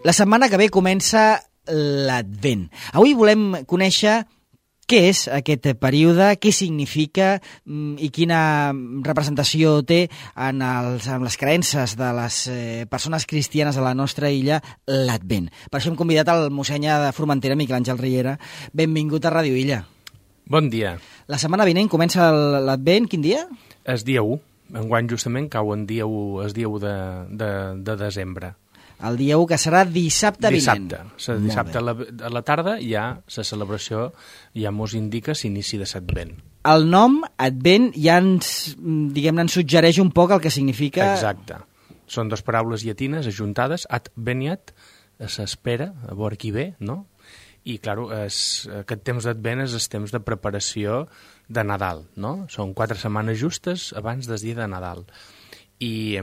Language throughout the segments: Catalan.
La setmana que ve comença l'Advent. Avui volem conèixer què és aquest període, què significa i quina representació té en les creences de les persones cristianes a la nostra illa l'Advent. Per això hem convidat el mossèn de Formentera, Miquel Àngel Riera. Benvingut a Ràdio Illa. Bon dia. La setmana vinent comença l'Advent, quin dia? És dia 1. Enguany justament cau en dia 1, és dia 1 de desembre. El dia 1, que serà dissabte vinent. Dissabte a la tarda ja la celebració ja mos indica l'inici de l'Advent. El nom, Advent, ja ens suggereix un poc el que significa... Exacte. Són dues paraules llatines ajuntades, ad veniat, s'espera, a veure qui ve, no? I, clar, aquest temps d'Advent és el temps de preparació de Nadal, no? Són 4 setmanes justes abans del dia de Nadal. I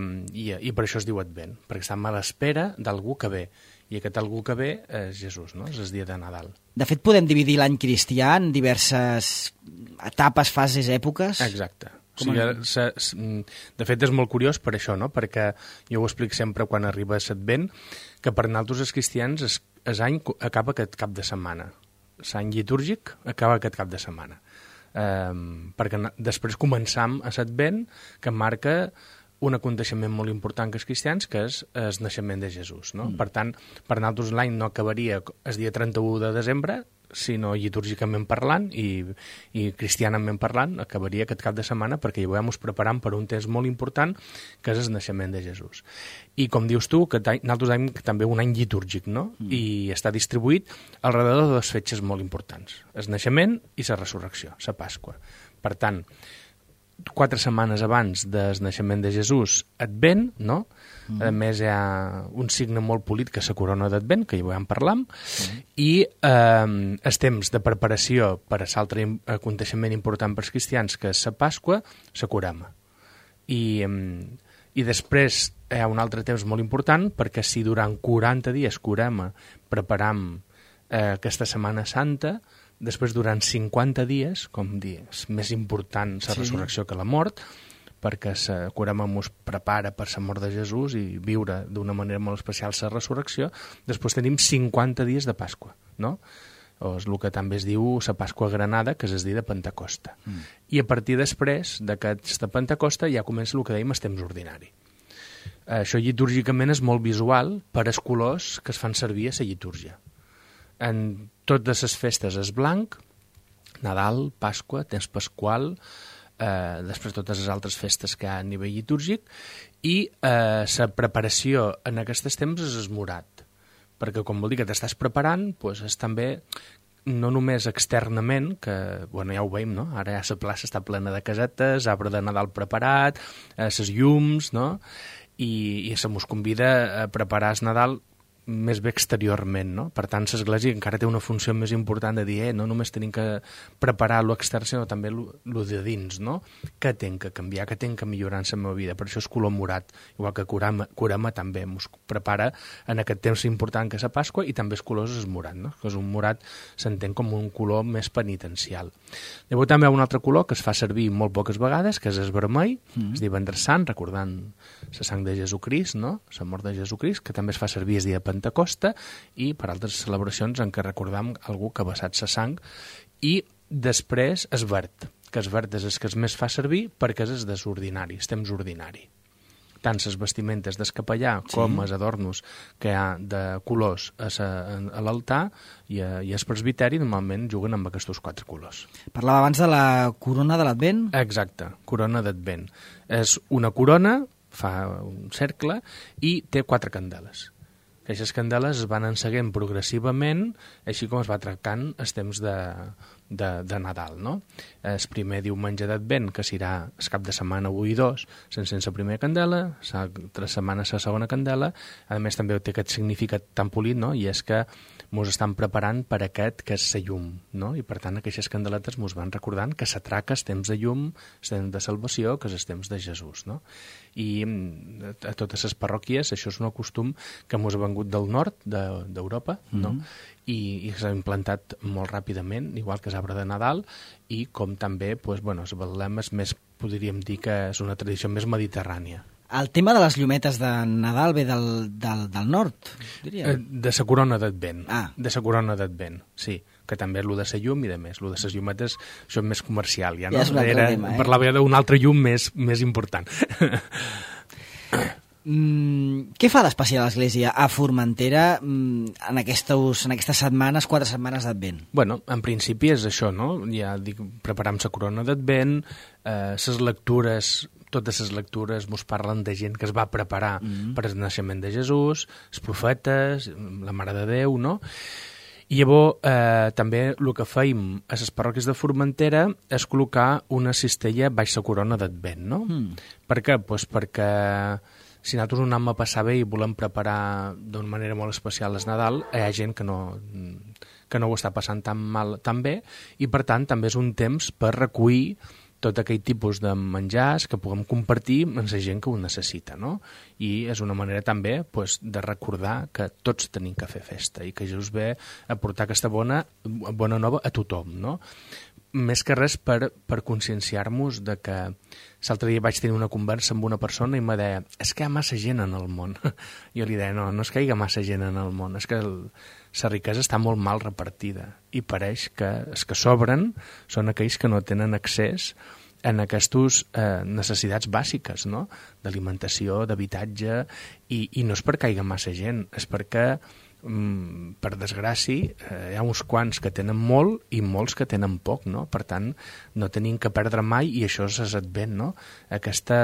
per això es diu Advent, perquè estem a l'espera d'algú que ve. I aquest algú que ve és Jesús, no? És el dia de Nadal. De fet, podem dividir l'any cristià en diverses etapes, fases, èpoques? Exacte. De fet, és molt curiós per això, no? Perquè jo ho explico sempre quan arriba l'Advent, que per nosaltres els cristians l'any acaba aquest cap de setmana. L'any litúrgic acaba aquest cap de setmana. Perquè després començam a l'Advent, que marca un aconteixement molt important que els cristians, que és el naixement de Jesús, no? Per tant, per nosaltres l'any no acabaria el dia 31 de desembre, sinó litúrgicament parlant i cristianament parlant, acabaria aquest cap de setmana perquè hi vam preparant per un temps molt important, que és el naixement de Jesús. I com dius tu, que nosaltres tenim també un any litúrgic, no? I està distribuït alrededor de dues fetges molt importants, el naixement i la resurrecció, la Pasqua. Per tant, 4 setmanes abans del naixement de Jesús, Advent, no? A més, hi ha un signe molt polit que és la corona d'Advent, que ja ho vam parlar, i el temps de preparació per a l'altre aconteixement important per als cristians, que és la Pasqua, la Corema. I després hi ha un altre temps molt important, perquè si durant 40 dies Corema preparam aquesta Setmana Santa, després, durant 50 dies, com dius, més important la resurrecció que la mort, perquè la Corema ens prepara per la mort de Jesús i viure d'una manera molt especial la resurrecció. Després tenim 50 dies de Pasqua, no? O és el que també es diu la Pasqua Granada, que és el dia de Pentecosta. I a partir després d'aquesta Pentecosta ja comença el que dèiem el temps ordinari. Això litúrgicament és molt visual per als colors que es fan servir a la litúrgia. En totes les festes és blanc, Nadal, Pasqua, temps pasqual, després totes les altres festes que hi ha a nivell litúrgic, i la preparació en aquests temps és esmorat, perquè com vol dir que t'estàs preparant, doncs és també no només externament, que bueno, ja ho veiem, no? Ara ja la plaça està plena de casetes, arbre de Nadal preparat, les llums, no? I se mos convida a preparar el Nadal més bé exteriorment, no? Per tant, l'Església encara té una funció més important de dir, no només tenim que preparar l'extern, sinó també lo de dins, no? Què tinc que canviar, què tinc que millorar en la meva vida? Per això és color morat, igual que Corema també ens prepara en aquest temps important que és la Pasqua, i també els colors és morat, no? Que és un morat, s'entén com un color més penitencial. Llavors també hi ha un altre color que es fa servir molt poques vegades, que és el vermell, és Divendres Sant, recordant la sang de Jesucrist, no? La mort de Jesucrist, que també es fa servir el dia de Pentecosta i per altres celebracions en què recordam algú que ha vessat sa sang. I després es verd, que es verd és el que es més fa servir perquè és el desordinari, el temps ordinari. Tant les vestimentes del capellà com els adornos que hi ha de colors a l'altar i al presbiteri normalment juguen amb aquests 4 colors. Parlava abans de la corona de l'Advent? Exacte, corona d'Advent. És una corona, fa un cercle i té 4 candeles. Aquestes candeles es van enceguent progressivament, així com es va trencant el temps de Nadal, no? El primer diumenge d'Advent, que serà el cap de setmana 1 i 2, s'encén la primera candela, l'altra setmana la segona candela. A més, també té aquest significat tan polit, no? I és que ens estan preparant per aquest que és la llum, no? I per tant aquestes candeletes ens van recordant que s'atraca el temps de llum, el temps de salvació, que és el temps de Jesús, no? I a totes les parròquies això és un costum que ens ha vengut del nord d'Europa, no? I s'ha implantat molt ràpidament, igual que l'arbre de Nadal, i com també, doncs, bueno, el Betlem és més, podríem dir que és una tradició més mediterrània. El tema de les llumetes de Nadal ve del nord, diria. De la corona d'Advent. De la corona d'Advent, sí. Que també és el de la llum i de més. El de les llumetes, això és més comercial. Ja, no? Ja és un altre tema, Parlava d'un altre llum més important. Què fa d'especial l'Església a Formentera en aquestes setmanes, 4 setmanes d'Advent? Bueno, en principi és això, no? Ja dic, preparam la corona d'Advent, les lectures, totes les lectures mos parlen de gent que es va preparar per al naixement de Jesús, els profetes, la Mare de Déu, no? I llavors també el que feim a les parròquies de Formentera és col·locar una cistella baix la corona d'Advent, no? Per què? Pues perquè si nosaltres un anem a passar bé i volem preparar d'una manera molt especial el Nadal, hi ha gent que no ho està passant tan bé, i per tant també és un temps per recollir tot aquell tipus de menjars que puguem compartir amb la gent que ho necessita, no? I és una manera també de recordar que tots tenim que fer festa i que Jesús ve a portar aquesta bona nova a tothom, no? Més que res per conscienciar-nos de que l'altre dia vaig tenir una conversa amb una persona i me deia, és que hi ha massa gent en el món. Jo li deia, no és que hi ha massa gent en el món, és que la riquesa està molt mal repartida i pareix que els que sobren són aquells que no tenen accés en aquestes necessitats bàsiques, no? D'alimentació, d'habitatge, i no és perquè hi hagi massa gent, és perquè per desgràcia, hi ha uns quants que tenen molt i molts que tenen poc, no? Per tant, no tenim que perdre mai, i això és Advent, no? Aquesta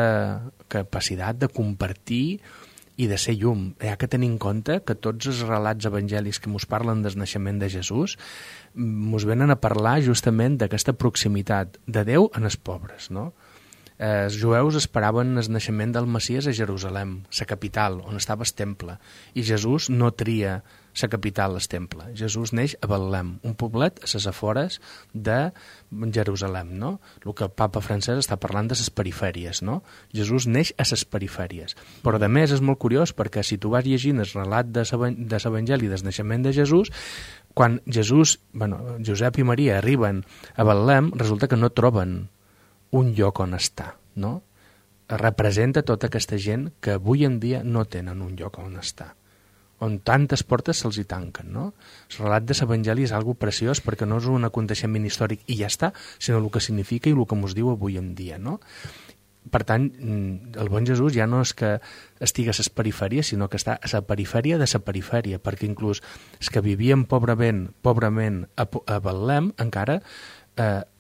capacitat de compartir i de ser llum. Hi ha que tenir en compte que tots els relats evangèlics que ens parlen del naixement de Jesús ens venen a parlar justament d'aquesta proximitat de Déu en els pobres, no? Els jueus esperaven el naixement del Messies a Jerusalem, la capital, on estava el temple, i Jesús no tria la capital, el temple. Jesús neix a Betlem, un poblet a les afores de Jerusalem, no? El que el papa francès està parlant de les perifèries, no? Jesús neix a les perifèries. Però, a més, és molt curiós, perquè si tu vas llegint el relat de l'Evangeli del naixement de Jesús, quan Josep i Maria arriben a Betlem, resulta que no troben un lloc on estar, no? Representa tota aquesta gent que avui en dia no tenen un lloc on estar, on tantes portes se'ls hi tanquen, no? El relat de l'Evangeli és algo preciós perquè no és un aconteixement històric i ja està, sinó el que significa i el que ens diu avui en dia, no? Per tant, el bon Jesús ja no és que estigui a les perifèries, sinó que està a la perifèria de la perifèria, perquè inclús els que vivien pobrament a Betlem encara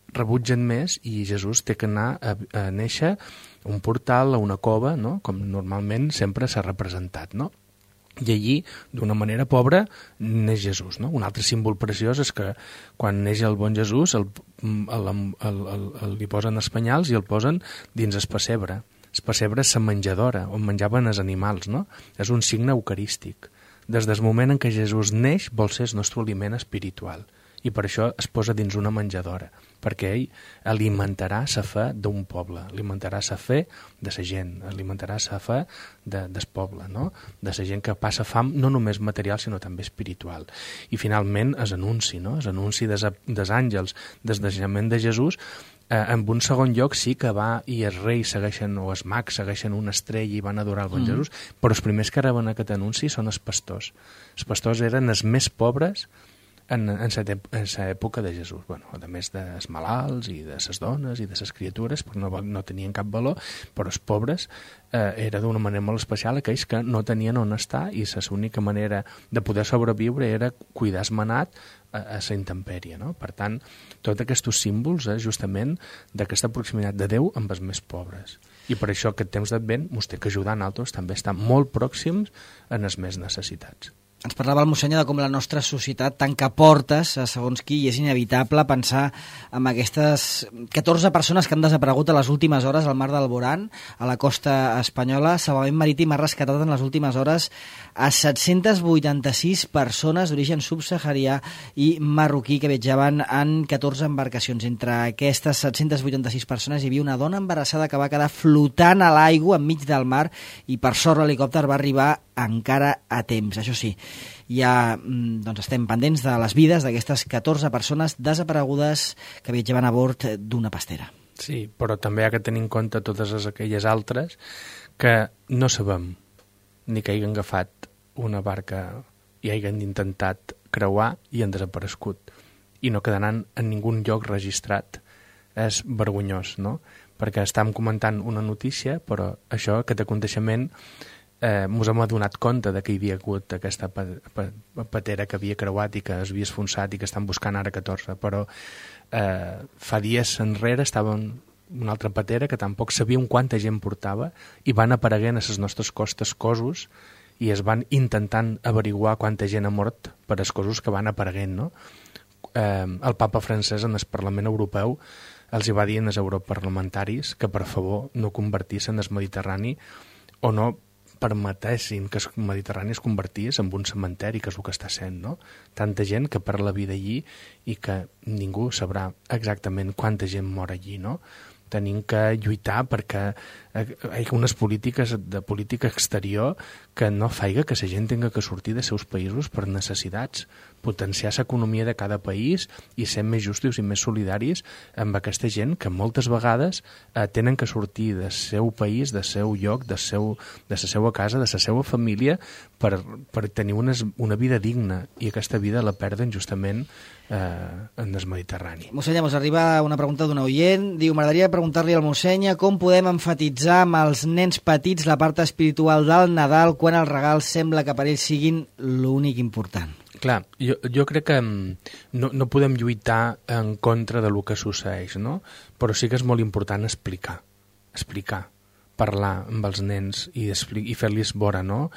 rebutgen més, i Jesús té que anar a néixer a un portal, a una cova, no? Com normalment sempre s'ha representat, no? I allí, d'una manera pobra, neix Jesús, no? Un altre símbol preciós és que quan neix el bon Jesús li posen els penyals i el posen dins el pessebre. El pessebre és la menjadora, on menjaven els animals, no? És un signe eucarístic. Des del moment en què Jesús neix, vol ser el nostre aliment espiritual, i per això es posa dins una menjadora, perquè ell alimentarà la fe d'un poble, alimentarà la fe de la gent, alimentarà la fe del poble, no? De la gent que passa fam, no només material, sinó també espiritual. I finalment és anunci, no? És anunci dels àngels, del naixement de Jesús. En un segon lloc sí que va i els reis segueixen, o els mags segueixen una estrella i van adorar el bon Jesús, però els primers que reben aquest anunci són els pastors. Els pastors eren els més pobres en l'època de Jesús, a més dels malalts i de les dones i de les criatures, perquè no tenien cap valor, però els pobres era d'una manera molt especial aquells que no tenien on estar, i l'única manera de poder sobreviure era cuidar el manat a la intempèrie, no? Per tant, tots aquests símbols justament d'aquesta proximitat de Déu amb els més pobres. I per això aquest temps d'Advent ens té que ajudar a nosaltres també a estar molt pròxims en els més necessitats. Ens parlava el mossènyor de com la nostra societat tanca portes a segons qui, i és inevitable pensar en aquestes 14 persones que han desaparegut a les últimes hores al mar d'Alborán, a la costa espanyola. Salvament Marítim ha rescatat en les últimes hores a 786 persones d'origen subsaharià i marroquí que viatjaven en 14 embarcacions. Entre aquestes 786 persones hi havia una dona embarassada que va quedar flotant a l'aigua enmig del mar, i per sort l'helicòpter va arribar encara a temps. Això sí, ja estem pendents de les vides d'aquestes 14 persones desaparegudes que viatjaven a bord d'una pastera. Sí, però també hi ha que tenir en compte totes aquelles altres que no sabem ni que hagin agafat una barca i hagin intentat creuar i han desaparegut i no quedaran en ningú lloc registrat. És vergonyós, no? Perquè estàvem comentant una notícia, però això, aquest aconteixement, ens hem adonat compte de que hi havia hagut aquesta patera que havia creuat i que es havia esfonsat i que estan buscant ara 14, però fa dies enrere estaven una altra patera que tampoc sabíem quanta gent portava i van apareguent a les nostres costes cossos i es van intentant averiguar quanta gent ha mort per els cossos que van apareguent, no? El papa francès en el Parlament Europeu els hi va dir als europarlamentaris que per favor no convertissin el Mediterrani o no permetessin que el Mediterrani es convertís en un cementeri, que és el que està sent, no? Tanta gent que perd la vida allí i que ningú sabrà exactament quanta gent mor allí, no? Tenim que lluitar perquè hi ha unes polítiques de política exterior que no faiga que la gent tinga que sortir dels seus països per necessitats, potenciar l'economia de cada país i ser més justos i més solidaris amb aquesta gent que moltes vegades tenen que sortir del seu país, del seu lloc, de la seva casa, de la seva família per tenir una vida digna i aquesta vida la perden justament en el Mediterrani. Mossèn, ens arriba una pregunta d'un oient. Diu, m'agradaria preguntar-li al mossèn com podem enfatitzar amb els nens petits la part espiritual del Nadal quan els regals sembla que per ells siguin l'únic important. Clar, jo crec que no podem lluitar en contra de lo que succeeix, no? Però sí que és molt important explicar, parlar amb els nens i fer-los veure, no?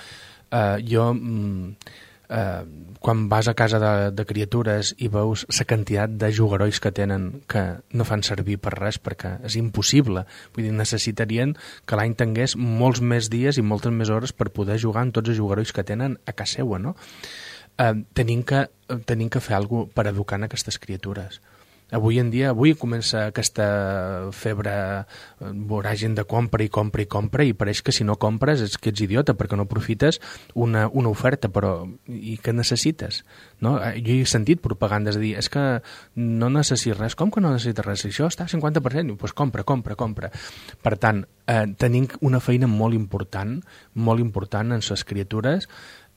Quan vas a casa de criatures i veus la quantitat de jugarolls que tenen que no fan servir per res perquè és impossible, vull dir, necessitarien que l'any tingués molts més dies i moltes més hores per poder jugar amb tots els jugarolls que tenen a casa seva, no? Tenim que fer alguna cosa per educar en aquestes criatures. Avui comença aquesta febre voràgin de compra i pareix que si no compres és que ets idiota perquè no aprofites una oferta, però i què necessites? No? Jo he sentit propagandes de dir és que no necessites res. Com que no necessites res? Això està al 50%? Doncs compra. Per tant, tenim una feina molt important en les criatures,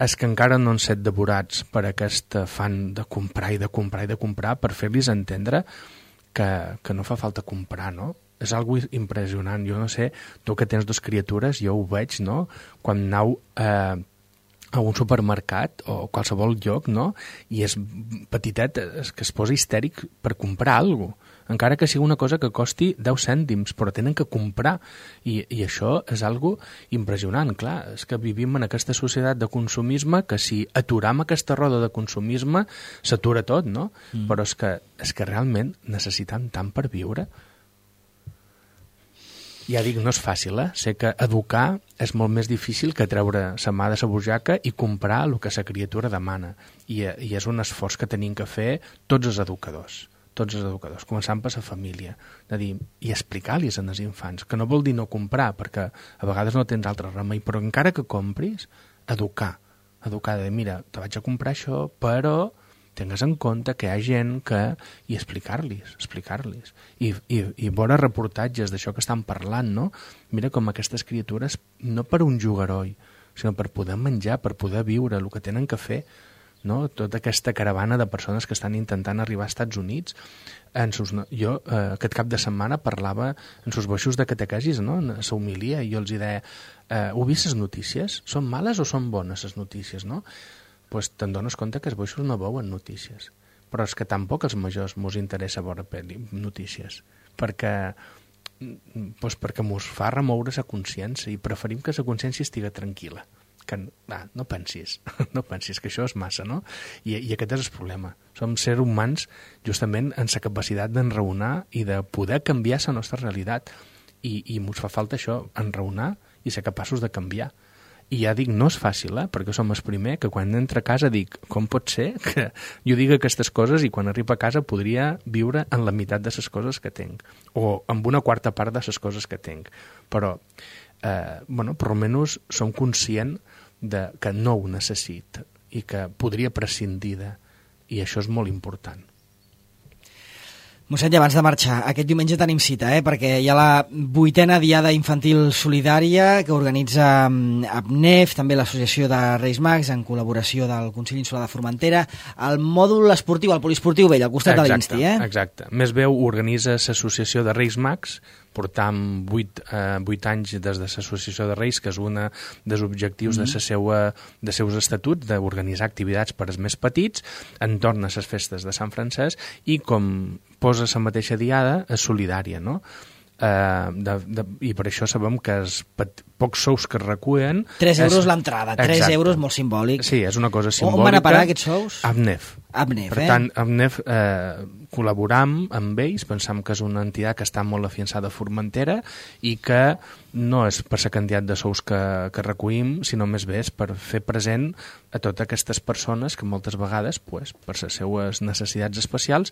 és que encara no han set devorats per aquest afany de comprar per fer-los entendre que no fa falta comprar, no? És algo impressionant. Jo no sé, tu que tens 2 criatures, jo ho veig, no? Quan aneu a un supermercat o qualsevol lloc, no? I és petitet, és que es posa histèric per comprar alguna cosa, encara que sigui una cosa que costi 10 cèntims, però tenen que comprar. I això és algo impressionant. Clar, és que vivim en aquesta societat de consumisme que si aturam aquesta roda de consumisme s'atura tot, no? Però és que realment necessitem tant per viure. Ja dic, no és fàcil, Sé que educar és molt més difícil que treure la mà de la butxaca i comprar el que la criatura demana. I és un esforç que tenim que fer tots els educadors, començant per la família, de dir, i explicar-los als infants, que no vol dir no comprar, perquè a vegades no tens altre remei, però encara que compris, educar, de dir, mira, te vaig a comprar això, però tingues en compte que hi ha gent que... i explicar-los. I veure reportatges d'això que estan parlant, no? Mira com aquestes criatures, no per un jugaroll, sinó per poder menjar, per poder viure, el que tenen que fer, no? Tota aquesta caravana de persones que estan intentant arribar als Estats Units. Jo aquest cap de setmana parlava en sus boixos de catequesis, no? En la homilia, i jo els deia, heu vist les notícies? Són males o són bones les notícies, no? Pues te'n dones compte que els boixos no veuen notícies, però és que tampoc als majors mos interessa veure notícies, perquè mos fa remoure la consciència i preferim que la consciència estigui tranquil·la. Que no pensis que això és massa, no? I aquest és el problema. Som sers humans justament en la capacitat d'enraonar i de poder canviar la nostra realitat i mos fa falta això, enraonar i ser capaços de canviar. I ja dic, no és fàcil, perquè som el primer que quan entra a casa dic, com pot ser que jo digui aquestes coses i quan arriba a casa podria viure en la meitat de les coses que tinc o amb una quarta part de les coses que tinc, però per almenys som conscients que no ho necessita i que podria prescindir de, i això és molt important. Mossèn, i abans de marxar, aquest diumenge tenim cita, perquè hi ha la 8a Diada Infantil Solidària que organitza APNEF, també l'Associació de Reis Mags, en col·laboració del Consell Insular de Formentera, el mòdul esportiu, el polisportiu vell, al costat de l'Insti. Exacte. Més bé organitza l'Associació de Reis Mags, portam 8 anys des de l'Associació de Reis, que és un dels objectius de seus estatuts, d'organitzar activitats per als més petits entorn a les festes de Sant Francesc, i com posa la mateixa diada, és solidària, no? I per això sabem que els pocs sous que es recullen... 3 euros l'entrada, 3 euros molt simbòlic. Sí, és una cosa simbòlica. On van a parar aquests sous? APNEF. Per tant, APNEF col·laboram amb ells, pensam que és una entitat que està molt afiançada a Formentera i que no és per la quantitat de sous que recollim, sinó més bé és per fer present a totes aquestes persones que moltes vegades, per les seues necessitats especials,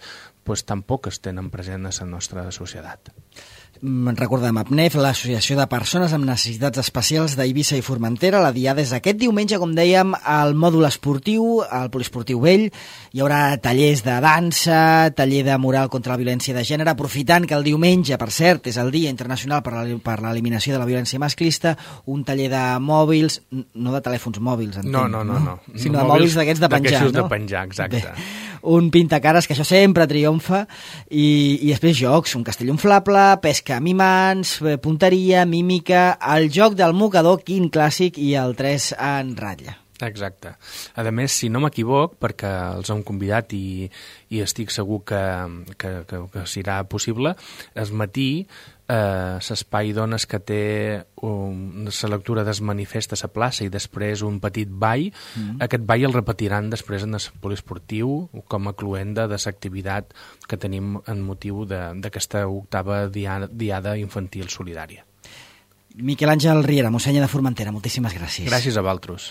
tampoc es tenen present a la nostra societat. Recordem, APNEF, l'Associació de Persones amb Necessitats Especials d'Eivissa i Formentera. La diada és aquest diumenge, com dèiem, al mòdul esportiu, al poliesportiu vell. Hi haurà tallers de dansa, taller de moral contra la violència de gènere, aprofitant que el diumenge, per cert, és el Dia Internacional per l'Eliminació de la Violència Masclista, un taller de mòbils, no de telèfons mòbils, entenc, no. Sinó de mòbils d'aquests de penjar, no? De penjar, exacte. Bé, un pintacares, que això sempre triomfa, i després jocs, un castell inflable, pesca amb imants, punteria, mímica, el joc del mocador, quin clàssic, i el 3 en ratlla. Exacte. A més, si no m'equivoc, perquè els hem convidat i estic segur que serà possible, el matí l'espai dones que té la lectura del manifest a la plaça i després un petit ball, aquest ball el repetiran després en el poliesportiu com a cluenda de l'activitat que tenim en motiu d'aquesta 8a Diada Infantil Solidària. Miquel Àngel Riera, mossèn de Formentera, moltíssimes gràcies. Gràcies a vosaltres.